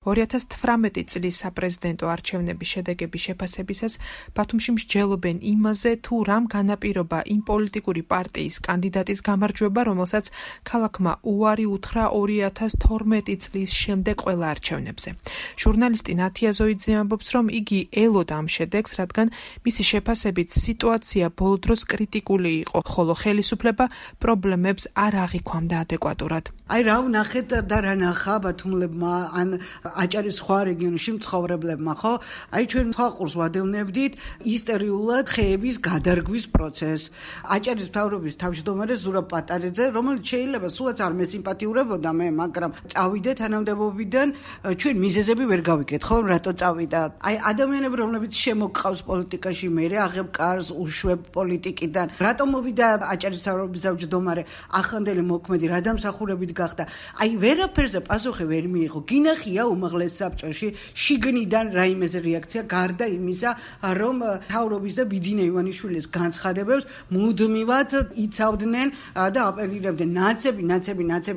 2018 წლის საპრეზიდენტო არჩევნების შედეგების შეფასებისას ბათუმში მსჯელობენ იმაზე, თუ რამ განაპირობა იმ პოლიტიკური პარტიის კანდიდატის გამარჯვება, რომელსაც ქალაქმა უარი უთხრა 2012 წლის შემდეგ ყველა არჩევნებზე. ჟურნალისტი ნათია ზოიძე ამბობს, რომ იგი ელოდა ამ შედეგს, რადგან მისი შეფასებით სიტუაცია ბოლო დროს კრიტიკული იყო, ხოლო ხელისუფლება პრობლემებს არ აღიქვამდა ადეკვატურად. აი რა ვნახეთ და რა ნახა ბათუმლებმა ან აჭარის სხვა რეგიონში მცხოვრებლებმა, ხო? აი ჩვენ ხალხურს ვადევნებდით ისტორიულად ხეების გადარგვის პროცესს. აჭარის მთავრობის თავმჯდომარე ზურაბ პატარიძე, რომელიც შეიძლება სულაც არ მესიმპათიურებოდა მე, მაგრამ წავიდე თანამდებობიდან, ჩვენ მიზეზები ვერ გავიგეთ, ხო, რატო წავიდა. აი ადამიანები, რომლებიც შემოგყავს პოლიტიკაში, მე აღებ კარს უშვებ პოლიტიკიდან. რატო მოვიდა აჭარის მთავრობის თავმჯდომარე, ახანდელი მოქმედი, რა დამსახურებით გახდა. აი ვერაფერზე პასუხი ვერ მიიღო. გინახია უმაღლეს საბჭოში შიგნიდან რაიმეზე რეაქცია გარდა იმისა, რომ მთავრობის და ბიძინა ივანიშვილის განცხადებებს მუდმივად იცავდნენ და აპელირებდნენ.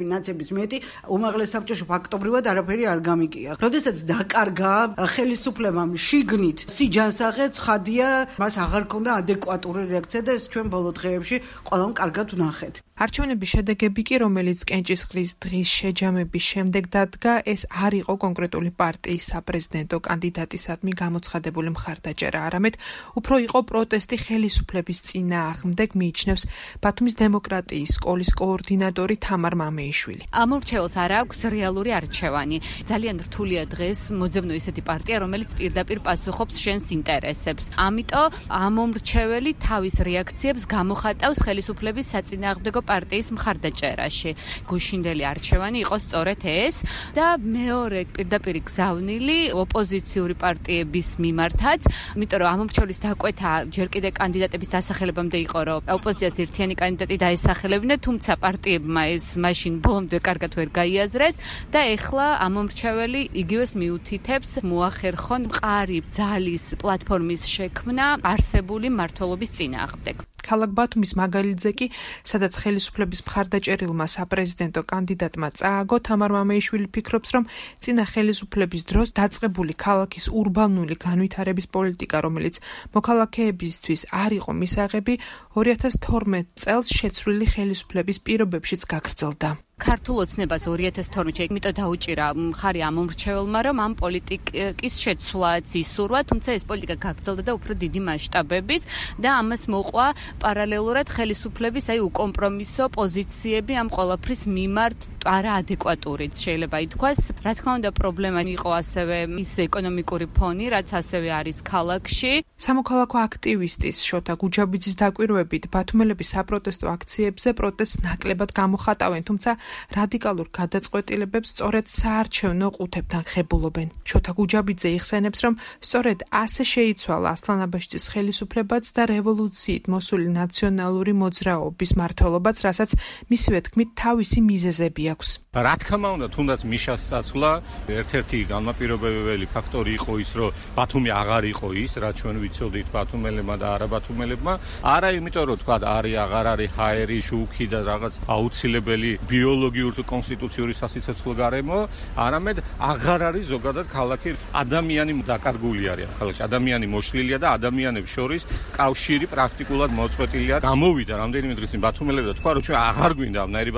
ნაცების მეტი უმაღლეს საბჭოში ფაქტობრივად არაფერი არ გამიგია. როდესაც დაკარგა ხელისუფლებამ შიგნით სიჯანსაღე ცხადია, მას აღარ ქონდა ადეკვატური რეაქცია და ეს ჩვენ ბოლო დღეებში ყველამ კარგად ვნახეთ. არჩევნების შედეგები კი, რომელიც კენჭისყრის დღის შეჯამების შემდეგ დადგა, ეს არ იყო კონკრეტული პარტიის საპრეზიდენტო კანდიდატისადმი გამოცხადებული მხარდაჭერა, არამედ უფრო იყო პროტესტი ხელისუფლების წინააღმდეგ, მიიჩნევს ბათუმის დემოკრატიის სკოლის კოორდინატორი თამარ მამეიშვილი. ამ მრჩეველს არ აქვს რეალური არჩევანი. ძალიან რთულია დღეს მოძებნო ისეთი პარტია, რომელიც პირდაპირ პასუხობს შენს ინტერესებს. ამიტომ ამ მრჩეველი თავის რეაქციებს გამოხატავს ხელისუფლების საწინააღმდეგო პარტიის მხარდაჭერაში. გუშინდელი არჩევანი იყო სწორედ ეს და მეორე პირდაპირ გზავნილი ოპოზიციური პარტიების მიმართაც, იმიტომ რომ ამ მრჩევლის დაკვეთა ჯერ კიდე კანდიდატების დასახელებამდე იყო, რომ ოპოზიციას ერთიანი კანდიდატი დაესახელებინა, თუმცა პარტიებმა ეს მაშინ ბოლომდე კარგად ვერ გაიაზრეს და ეხლა ამ მრჩეველი იგივეს მიუთითებს მოახერხონ მყარი ძალის პლატფორმის შექმნა არსებული მმართველობის წინააღმდეგ. ქალაქ ბათუმის მაგალითზე კი, სადაც ხელისუფლების მხარდაჭერილმა საპრეზიდენტო კანდიდატმა წააგო, თამარ მამეიშვილი ფიქრობს, რომ წინა ხელისუფლების დროს დაწყებული ქალაქის ურბანული განვითარების პოლიტიკა, რომელიც მოქალაქეებისთვის არ იყო მისაღები, 2012 წელს შეცვლილი ხელისუფლების პირობებშიც გაგრძელდა. ქართულ ოცნებას 2012-ში იმიტომ დაუჭირა მხარი ამ მრჩეველმა, რომ ამ პოლიტიკის შეცვლაც ისურვა, თუმცა ეს პოლიტიკა გაგრძელდა და უფრო დიდი მასშტაბების და ამას მოყვა პარალელურად ხელისუფლების უკომპრომისო პოზიციები ამ ყველაფრის მიმართ არაადეკვატურიც შეიძლება ითქვას. რა თქმა უნდა, პრობლემა იყო ასევე ის ეკონომიკური ფონი, რაც ასევე არის ქალაქში. სამოქალაქო აქტივისტის შოთა გუჯაბიძის დაკვირვებით, ბათუმელების საპროტესტო აქციებზე პროტესტს ნაკლებად გამოხატავენ, თუმცა რადიკალურ გადაწყვეტილებებს სწორედ საარჩევნო ყუთებთან ხებულობენ. შოთა გუჯაბიძე იხსენებს, რომ სწორედ ასე შეიცვალა ასლანაბაშიძის ხელისუფლებაც და რევოლუციით მოსული ნაციონალური მოძრაობის მმართველობაც, რასაც მისივე თქმით თავისი მიზეზები აქვს. რა თქმა უნდა, თუნდაც მიშას წასვლა ერთ-ერთი განმაპირობებელი ფაქტორი იყო ის, რომ ბათუმი აღარ იყო ის, რაც ჩვენ ვიცოდით ბათუმელებმა და არაბათუმელებმა. არა იმიტომ, რომ თქვა აღარ არის ჰაერი, შუქი და რაღაც აუცილებელი ბიოლოგიური თუ კონსტიტუციური სასიცოცხლო გარემო, არამედ აღარ არის ზოგადად ქალაქი, ადამიანი დაკარგული არის ქალაქში, ადამიანი მოშლილია და ადამიანებს შორის კავშირი პრაქტიკულად მოწყვეტილია. გამოვიდა რამდენიმე დღის წინ ბათუმელები და თქვა, რომ ჩვენ აღარ გვინდა ამნაირი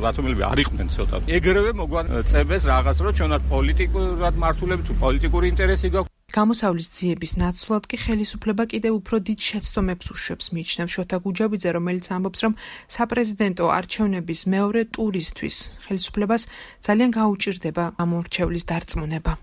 ბათუმელები არ იყვნენ ცოტა. ეგრევე მოგვაწევეს რაღაც, რომ ჩვენ პოლიტიკურად მართულები თუ პოლიტიკური ინტერესი გვაქვს. გამოსავლის ძიების ნაცვლად კი ხელისუფლება კიდევ უფრო დიდ შეცდომებს უშვებს, მიიჩნევს შოთა გუჯაბიძე, რომელიც ამბობს, რომ საპრეზიდენტო არჩევნების მეორე ტურისთვის ხელისუფლებას ძალიან გაუჭირდება ამ მრჩევლის დარწმუნება.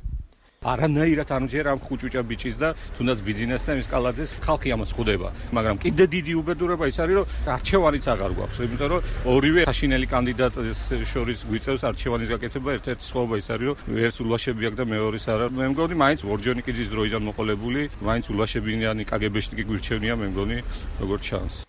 არანაირად არ მჯერა ამ ხუჭუჭა ბიჭის და თუნდაც ბიძინას და მისკალაძეს ხალხი ამას ხვდება, მაგრამ კიდე დიდი უბედურება ის არის, რომ არჩევანიც აღარ გვაქვს, იმიტომ რომ ორივე საშინელი კანდიდატის შორის გვიწევს არჩევანის გაკეთება. ერთ-ერთი სხვაობა ის არის, რომ ერთს ულაშები აქვს და მეორეს არა. მე მგონი, მაინც ორჯონიკიძის დროიდან მოყოლებული, მაინც ულაშებიანი კგბ-შტიკი გვირჩევნია, მე მგონი, როგორც ჩანს.